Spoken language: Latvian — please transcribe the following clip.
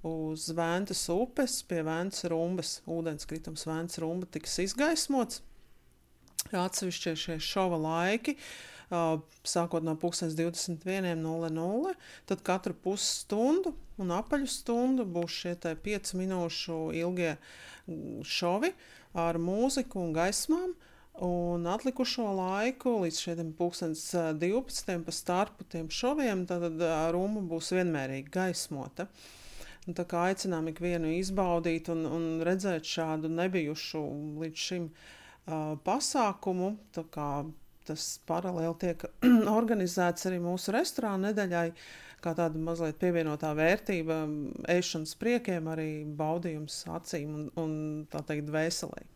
uz Ventas upes pie Ventas rumbas. Ūdenskritums Ventas rumba tiks izgaismots. Atsevišķie šie šova laiki, sākot no 21:00, tad katru pusstundu un apaļu stundu būs šie 5 minūšu ilgie šovi ar mūziku un gaismām. Un atlikušo laiku līdz šiem 12:00 pa starpu tiem šoviem, tad rumba būs vienmērīgi gaismota. Un tā kā aicinām ikvienu izbaudīt un redzēt šādu nebijušu līdz šim pasākumu, tā kā tas paralēli tiek organizēts arī mūsu restorāna nedēļai, kā tāda mazliet pievienotā vērtība ēšanas priekiem, arī baudījums acīm un tā teikt dvēselē.